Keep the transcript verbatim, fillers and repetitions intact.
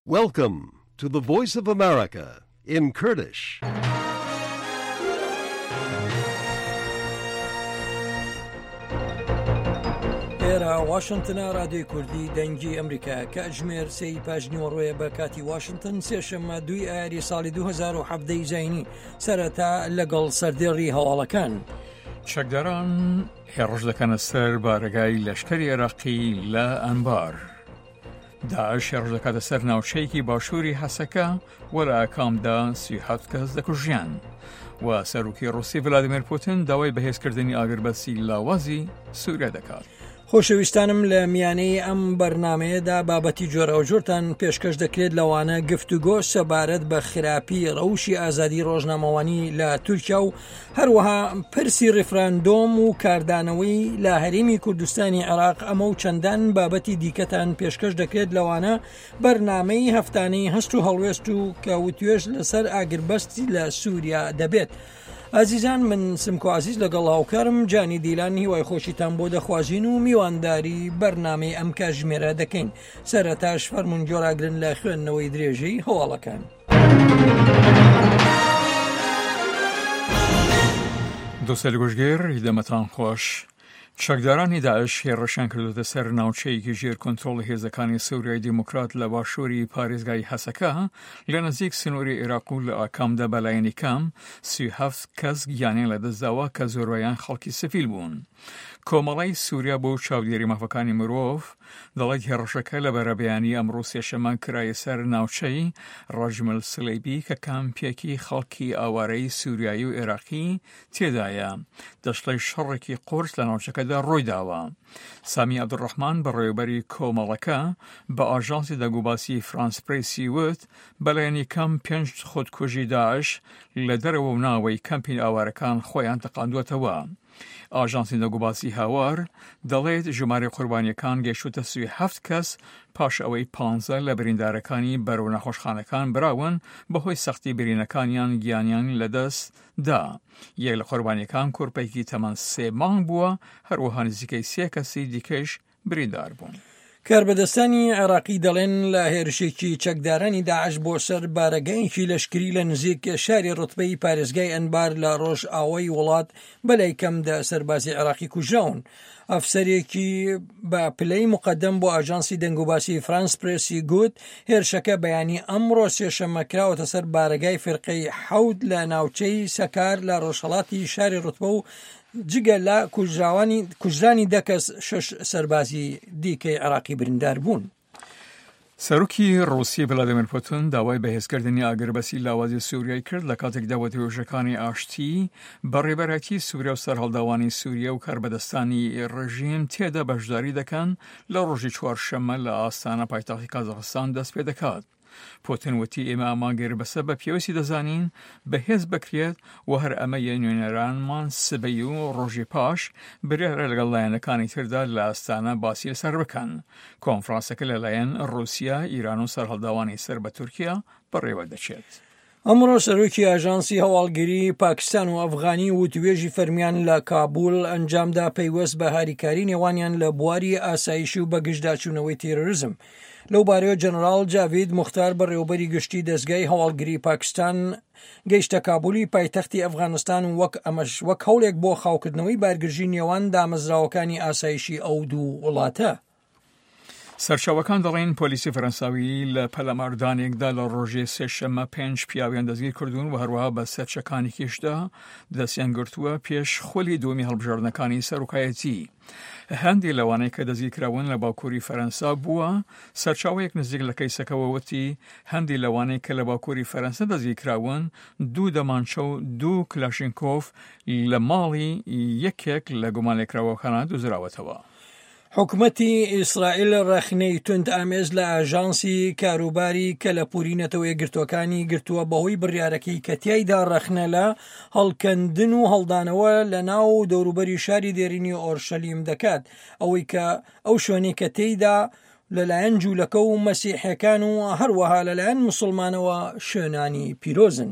Welcome to the Voice of America in Kurdish. ئێرە واشنگتنە، رادیۆی کوردی دەنگی ئەمریکا، کاتژمێر سێی پاش نیوەڕۆیە بە کاتی واشنگتن، سێشەممە دووی ئایاری ساڵی دوو هەزار و حەڤدە زایینی. سەرەتا لەگەڵ سەردێڕی هەواڵەکان. چەکداران هێڕش دەکەنە سەر بارەگای لەشکری عێراقی لە ئەنبار. داعش هێڕش دەکاتە سەر ناوچەیەکی باشووری حەسەکە و لە ئاکامدا سی حەفت کەس دەکوژیان. و سەرۆکی ڕوسی ڤلادیمیر پوتین داوای بەهێزکردنی ئاگربەستی لاوازی سووریا دەکات. خۆشەویستانم، لە میانەی ئەم بەرنمەیەدا بابەتی جۆراوجۆرتان پێشکەش دەکرێت، لەوانە گفتوگۆ سەبارەت بە خراپی ڕەوشی ئازادی ڕۆژنامەوانی لە تورکیا و هەروەها پرسی ڕیفراندۆم و کاردانەوەی لە هەرێمی کوردستانی عێراق. ئەمە و چەندان بابەتی دیکەتان پێشکەش دەکرێت، لەوانە بەرنمەی هەفتانەی هەست و هەڵوێست و کە وتوێژ لەسەر ئاگربەستی لە سووریا دەبێت. ئازیزان، من سمکۆ عزیز لەگەڵ هاوکارم جانی دیلان هیوای خۆشیتان بۆ دەخوازین و میوانداری بەرنامەی ئەم کاتژمێرە دەکەین. سەرەتاش فەرموون گوێڕاگرن لە خوێندنەوەی درێژەی هەواڵەکان. دۆستەیل گوشگر، دەمتان خوەش. چەکدارانی داعش هێڕشیان کردوتە سەر ناوچەیەکی ژێر کۆنترۆڵی هێزەکانی سووریای دیموکرات لە باشووری پارێزگای حەسەکە لە نزیک سنووری عێراق و لە ئاکامدا بەلایەنی کەم سی هەفت کەس گیانیان لەدەستداوە کە زۆربەیان خەڵکی سڤیل بوون. کۆمەڵی سووریا بۆ چاودێری مافەکانی مرۆڤ دەڵێت هێڕشەکە لە بەرەبەیانی ئەمڕۆ سێشەممە کرایە سەر ناوچەی ڕەجمل سلەیبی کە کامپێکی خەڵکی ئاوارەی سووریایی و عێراقی تێدایە. دەشڵێت شەڕێکی قورس لە ناوچەکەدا ڕوویداوە. سامی عەبدولڕەحمان، بەڕێوەبەری کۆمەڵەکە، بە ئاژانسی دەنگوباسی فرانس پرێسی وت بەلایەنی کەم پێنج خودکوژی داعش لە دەرەوە و ناوەی کەمپی ئاوارەکان خۆیان تەقاندووەتەوە. ئاژانسی دەنگوباسی هاوار دەڵێت ژمارە قوربانیەکان گەیشتوتە سی هەفت کەس پاش ئەوەی پانزە لە بریندارەکانی بەرەو نەخۆشخانەکان براون، بەهۆی سەختی برینەکانیان گیانیان لەدەست دا. یەک لە قوربانیەکان کورپێکی تەمەن سێ مانگ بووە، هەروەها نزیکەی سێ کەسی دیکەش بریندار بوون. کاربەدەستانی عێراقی دەڵێن لە هێرشێکی چەکدارانی داعش بۆ سەر بارەگایەکی لەشکری لە نزیک شاری ڕتبەی پارێزگای ئەنبار لە ڕۆژئاوای وڵات بەلای کەم دە سەربازی عێراقی کوژراون. ئەفسەرێکی بە پلەی مقدم بۆ ئاژانسی دەنگوباسی فرانس پرێسی گوت هێرشەکە بەیانی ئەمڕۆ سێشەممە کراوەتە سەر بارەگای فرقەی حەوت لە ناوچەی سەکار لە ڕۆژهەڵاتی شاری ڕتبە و جگە لە کوژراوانی کوژرانی دە کەس، شەش سەربازی دیکەی عێراقی بریندار بوون. سەرۆکی ڕوسی ڤلادیمیر پوتین داوای بەهێزکردنی ئاگربەسی لاوازی سووریای کرد لە کاتێکدا وتوێژەکانی ئاشتی بە ڕێبەرایەتی سووریا و سەرهەڵداوانی سووریا و کاربەدەستانی ڕژیم تێدا بەشداری دەکەن لە ڕۆژی چوارشەممە لە ئاستانە پایتەختی کازاخستان دەست پێ دەکات. پوتین وتی ئێمە ئەم ئاگربەسە بە پێویستی دەزانین بەهێز بکرێت و هەر ئەمەیە نوێنەرانمان سبەی و ڕۆژی پاش بریارە لەگەڵ لایەنەکانی تردا لە ئاستانە باسی لەسەر بکەن. کۆنفرانسەکە لەلایەن ڕوسیا، ئیران و سەرهەڵداوانی سەر بە تورکیا بەڕێوە دەچێت. ئەمڕۆ سەرۆکی ئاژانسی هەواڵگری پاکستان و ئەفغانی وتوێژی فەرمیان لە کابول ئەنجامدا پەیوەست بە هاریکاری نێوانیان لە بواری ئاسایشی و بەگژداچوونەوەی تیرۆریزم. لەو بارەیەوە جەنەراڵ جاوید مختار، بەڕێوەبەری گشتی دەستگای هەواڵگری پاکستان، گەیشتە کابولی پایتەختی ئەفغانستان و وەک ئەمەش وەک هەوڵێک بۆ خاوکردنەوەی بارگرژی نێوان دامەزراوەکانی ئاسایشی ئەو دوو وڵاتە. سەرچاوەکان دەڵێن پۆلیسی فەرەنساوی لە پەلاماردانێکدا لە ڕۆژی سێشەممە پێنج پیاویان دەستگیر کردوون و هەروەها بە سەرچەکانێکیشدا دەستیان گرتووە پێش خولی دووەمی هەڵبژاردنەکانی سەرۆکایەتی. هەندێک لەوانەی کە دەستگیر کراون لە باکووری فەرەنسا بووە. سەرچاوەیەک نزیک لە کەیسەکەوە وتی هەندێک لەوانەی کە لە باکووری فەرەنسا دەستگیر کراون دوو دەمانچە و دوو کلاشینکۆف لە ماڵی یەکێک لە گومانلێکراوەکانە دۆزراوەتەوە. حکومەتی ئیسرائیل ڕەخنەی توند ئامێز لە ئاژانسی کاروباری کەلەپوری نەتەوە یەکگرتووەکانی گرتووە بەهۆی بڕیارەکەی کە تیایدا ڕەخنە لە هەڵکەندن و هەڵدانەوە لە ناو دەوروبەری شاری دێرینی ئۆرشەلیم دەکات، ئەوەی کە ئەو شوێنەی کە تێیدا لەلایەن جوولەکە و مەسیحەکان و هەروەها لەلایەن مسلمانەوە شوێنانی پیرۆزن.